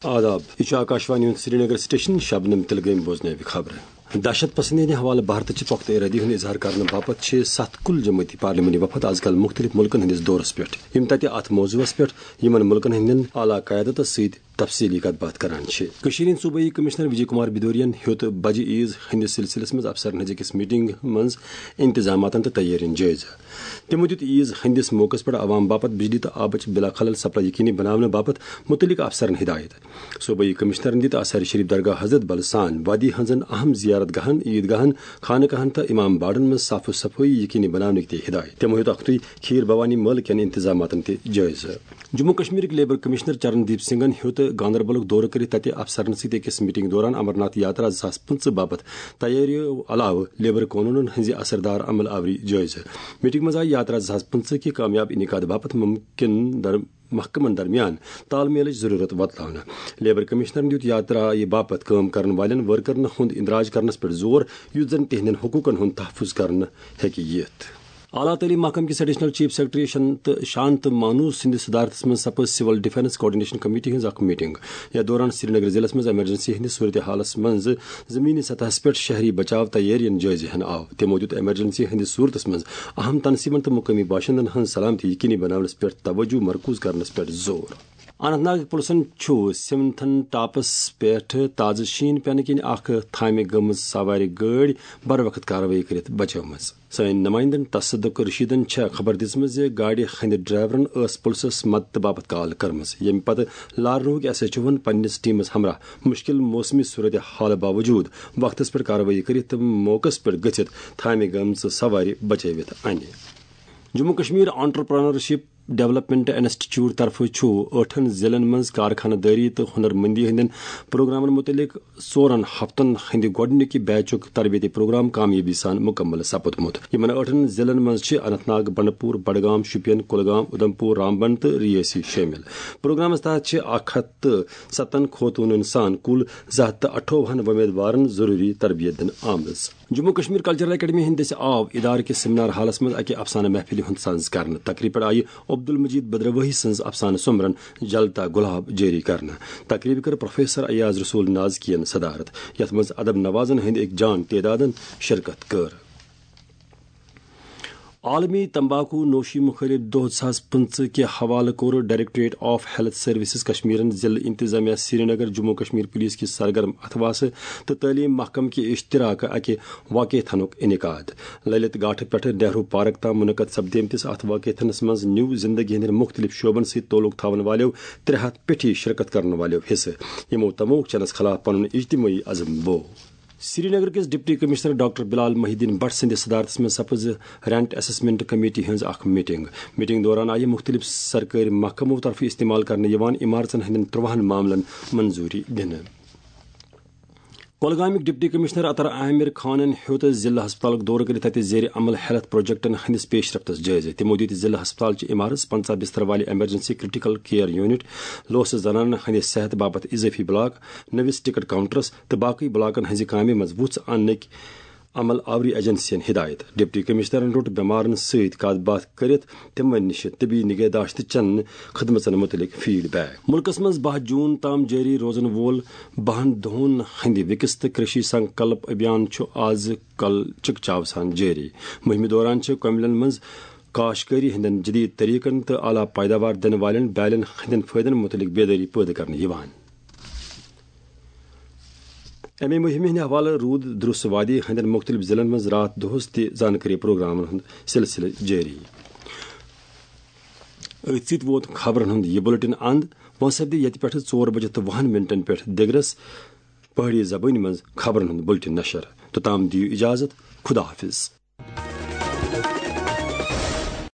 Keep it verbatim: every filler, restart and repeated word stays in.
آداب، یہِ چھُ آکاشوانی ہُنٛد سرینگر سٹیشن۔ شبنم تلگٲمۍ بوزنٲوِ خبرٕ۔ دہشت پسندی ہٕنٛدِ حوالہٕ بھارتٕچہِ پۄختہٕ ارادی ہُنٛد اظہار کرنہٕ باپتھ چھِ ستھ کُل جمٲعتی پارلیمانی وفد از کل مُختٔلِف مُلکن ہٕنٛدِس دورس پٮ۪ٹھ، یِم تتہِ اتھ موضوعس پٮ۪ٹھ یِمن مُلکن ہٕنٛدٮ۪ن اعلیٰ قیادتس سۭتۍ تفصیلی کتھ باتھ کران چھِ۔ کٔشیٖرِ ہٕنٛدۍ صوبٲئی کمشنر وجے کمار بدوریَن ہیوٚت بجہِ عیز ہٕنٛدِس سلسلس منٛز افسرن ہٕنٛزِ أکِس میٹنگ منٛز انتظاماتن تہٕ تیٲرین جٲیزٕ۔ تِمو دیُت عیز ہٕنٛدِس موقعس پٮ۪ٹھ عوام باپتھ بجلی تہٕ آبٕچ بلا خلل سپلائی یقینی بناونہٕ باپتھ مُتعلق افسرن ہدایت۔ صوبٲئی کمشنرن دِتۍ آثار شریف درگاہ حضرت بل سان وادی ہٕنٛزن اہم زیارت گاہن، عید گاہن، خانہٕ کاہن تہٕ امام باڑن منٛز صاف و صفٲیی یقینی بناونٕکۍ تہِ ہدایت۔ تِمو ہیوٚت اکھتُے کھیٖر بھوانی مٲلہٕ کٮ۪ن انتظاماتن تہِ جٲیزٕ۔ جموں کشمیرٕکۍ لیبر کمشنر چرن دیپ سنگھن ہیوٚت گاندربلُک دورٕ کٔرِتھ تتہِ افسرن سۭتۍ أکِس میٹنگ دوران امرناتھ یاترا زٕ ساس پٕنٛژٕہ باپتھ تیٲرِیو علاوٕ لیبر قونوٗنن ہٕنٛزِ اثردار عمل آوری جٲیزٕ۔ میٹنگ منٛز آیہِ یاترا زٕ ساس پٕنٛژٕہ کہِ کامیاب انعقاد باپتھ ممکن در محکمن درمیان تال میلٕچ ضروٗرت وۄتلاونہٕ۔ لیبر کمشنرن دیُت یاترایہِ باپتھ کٲم کرن والٮ۪ن ورکرن ہُنٛد اندراج کرنس پٮ۪ٹھ زور، یُتھ زن تِہنٛدٮ۪ن حقوٗقن ہُنٛد تحفظ کرنہٕ ہیٚکہِ یِتھ۔ اعلیٰ تعلیٖم محکمہٕ کِس ایڈیشنل چیف سیکرٹری شنت، شانت مانو سٕنٛدِس صدارتس منٛز سپٕز سول ڈیفنس کوآرڈینیشن کمیٹی ہٕنٛز اکھ میٹنگ۔ یتھ دوران سرینگر ضلعس منٛز ایمرجنسی ہٕنٛدِس صورتحالس منٛز زمینی سطحس پٮ۪ٹھ شہری بچاو تیٲرین جٲیزٕ ہینہٕ آو۔ تِمو دیُت ایمرجنسی ہٕنٛدِس صورتس منٛز اہم تنظیمن تہٕ مقٲمی باشندن ہٕنٛز سلامتی یقینی بناونس پٮ۪ٹھ توجہ مرکوز کرنس پٮ۪ٹھ زور۔ اننت ناگ پُلسن چھُ سِمتھن ٹاپس پٮ۪ٹھ تازٕ شیٖن پٮ۪نہٕ کِنۍ اکھ تھامہِ گٔمٕژ سوارِ گٲڑۍ بر وقت کاروٲیی کٔرِتھ بچٲومٕژ۔ سٲنۍ نمائندن تصدق رشیدن چھےٚ خبر دِژمٕژ زِ گاڑِ ہٕنٛدِ ڈرائیورن ٲس پُلسس مدتہٕ باپتھ کال کٔرمٕژ، ییٚمہِ پتہٕ لارنوہٕکۍ ایس ایچ اوہن پننِس ٹیمس ہمراہ مشکل موسمی صورت حال باوجود وقتس پٮ۪ٹھ کاروٲیی کٔرِتھ تہٕ موقعس پٮ۪ٹھ گٔژھِتھ تھامہِ گٔمژٕ سوارِ بچٲوِتھ انہِ۔ Jammu Kashmir entrepreneurship development institute طرفہٕ چھُ ٲٹھن ضلعن منٛز کارخانہٕ دٲری تہٕ ہُنر مندی ہٕنٛدٮ۪ن پروگرامن مُتعلق ژورن ہفتن ہٕنٛدِ گۄڈٕنِکہِ بیچُک تربیتی پروگرام کامیٲبی سان مُکمل سپُدمُت۔ یِمن ٲٹھن ضلعن منٛز چھِ اننت ناگ، بنڈپور، بڈگام، شوپین، کُلگام، اُدھمپور، رامبن تہٕ ریاسی شٲمِل۔ پروگرامس تحت چھِ اکھ ہتھ تہٕ ستن خوتوٗنن سان کُل زٕ ہتھ تہٕ اَٹھووُہن وۄمیدوارن ضروٗری تربیت دِنہٕ آمٕژ۔ جموں کشمیر کلچرل اکیڈمی ہٕنٛدِ دٔسۍ آو ادارٕ کِس سیمینار ہالس منٛز اکہِ افسانہٕ محفلہِ ہُنٛد سنز کرنہٕ۔ تقریب پٮ۪ٹھ آیہِ عبدالمجید بدرواہی سٕنٛز افسانہٕ سومبرن جلتا گلاب جٲری کرنہٕ۔ تقریب کٔر پروفیسر ایاز رسول نازکین صدارت، یتھ منٛز ادب نوازن ہٕنٛدۍ أکۍ جان تعدادن شرکت کٔر۔ عالمی تمباکو نوشی مخٲلف دۄہ زٕ ساس پٕنٛژٕہ کہِ حوالہٕ کوٚر ڈائریکٹوریٹ آف ہیلتھ سروسز کشمیرن ضلع انتظامیہ سرینگر، جموں کشمیر پولیس کِس سرگرم اتھواسہٕ تہٕ تعلیٖم محکمہٕ کہِ اشتراکہٕ اکہِ واقعہ تھنُک انعقاد۔ للت گاٹھٕ پٮ۪ٹھٕ نہرو پارک تام منعقد سپدیمتِس اتھ واقعہ تھنس منٛز نیوٗ زندگی ہٕنٛدٮ۪ن مُختٔلِف شعبن سۭتۍ تعلق تھاون والٮ۪و ترٛےٚ ہتھ پیٹھی شرکت کرن والٮ۪و حصہٕ، یِمو تموک چنس خلاف پنُن اجتمٲعی عزم بو۔ سرینگر کِس ڈپٹی کمشنر ڈاکٹر بلال محی الدین بٹ سٕنٛدِس صدارتس منٛز سپٕز رینٹ اسسمنٹ کمیٹی ہٕنٛز اکھ میٹنگ۔ میٹنگ دوران آیہِ مُختٔلِف سرکٲرۍ محکمو طرفہٕ استعمال کرنہٕ یِوان عمارژن ہٕنٛدٮ۪ن ترٛوہن معاملن منظوٗری دِنہٕ۔ کۄلگامٕکۍ ڈپٹی کمشنر عطر عامر خانن ہیوٚت ضلع ہسپتالُک دورٕ کٔرِتھ تتہِ زیر عمل ہیلتھ پروجیکٹن ہٕنٛدِس پیش رفتس جٲیزٕ۔ تِمو دِتۍ ضلع ہسپتالچہِ عمارژ پنژاہ بستر والہِ ایمرجنسی کریٹیکل کیئر یونٹ، لوسہٕ زنانن ہٕنٛدِ صحت باپتھ اضٲفی بلاک، نٔوِس ٹکٹ کاؤنٹرس تہٕ باقٕے بلاکن ہٕنٛزِ کامہِ منٛز وُژھ اننٕکۍ عمل آوری ایجنسین ہدایت۔ ڈپٹی کمشنرن روٚٹ بٮ۪مارن سۭتۍ کتھ باتھ کٔرِتھ تِمن نِش طبی نگہداشت چن خدمژن مُتعلق فیڈ بیک۔ مُلکس منٛز باہ جون تام جٲری روزن وول باہن دۄہن ہٕنٛدِ وِکس تہٕ کرشی سنکلپ ابھیان چھُ آز کل چکچاو سان جٲری۔ مُہِمہِ دوران چھِ کۄملن منٛز کاشتکٲری ہٕنٛدٮ۪ن جدید طریقن تہٕ اعلیٰ پیداوار دِنہٕ والٮ۪ن بیالٮ۪ن ہٕنٛدٮ۪ن فٲیدن مُتعلق بیدٲری پٲدٕ کرنہٕ یِوان۔ اَمہِ مُہِمہِ ہٕنٛدِ حوالہٕ روٗد دروس وادی ہٕنٛدٮ۪ن مُختٔلِف ضلعن منٛز راتھ دۄہس تہِ زانکٲری پروگرامن ہُنٛد سلسلہٕ جٲری۔ أتھۍ سۭتۍ ووت خبرن ہُنٛد یہِ بُلٹن اند۔ وۄنۍ سپدِ ییٚتہِ پٮ۪ٹھٕ ژور بجہِ تہٕ وُہن منٹن پٮ۪ٹھ دِگرس پہٲڑی زبٲنۍ منٛز خبرن ہُنٛد بُلٹن نشر۔ توٚتام دِیِو اجازت، خدا حافظ۔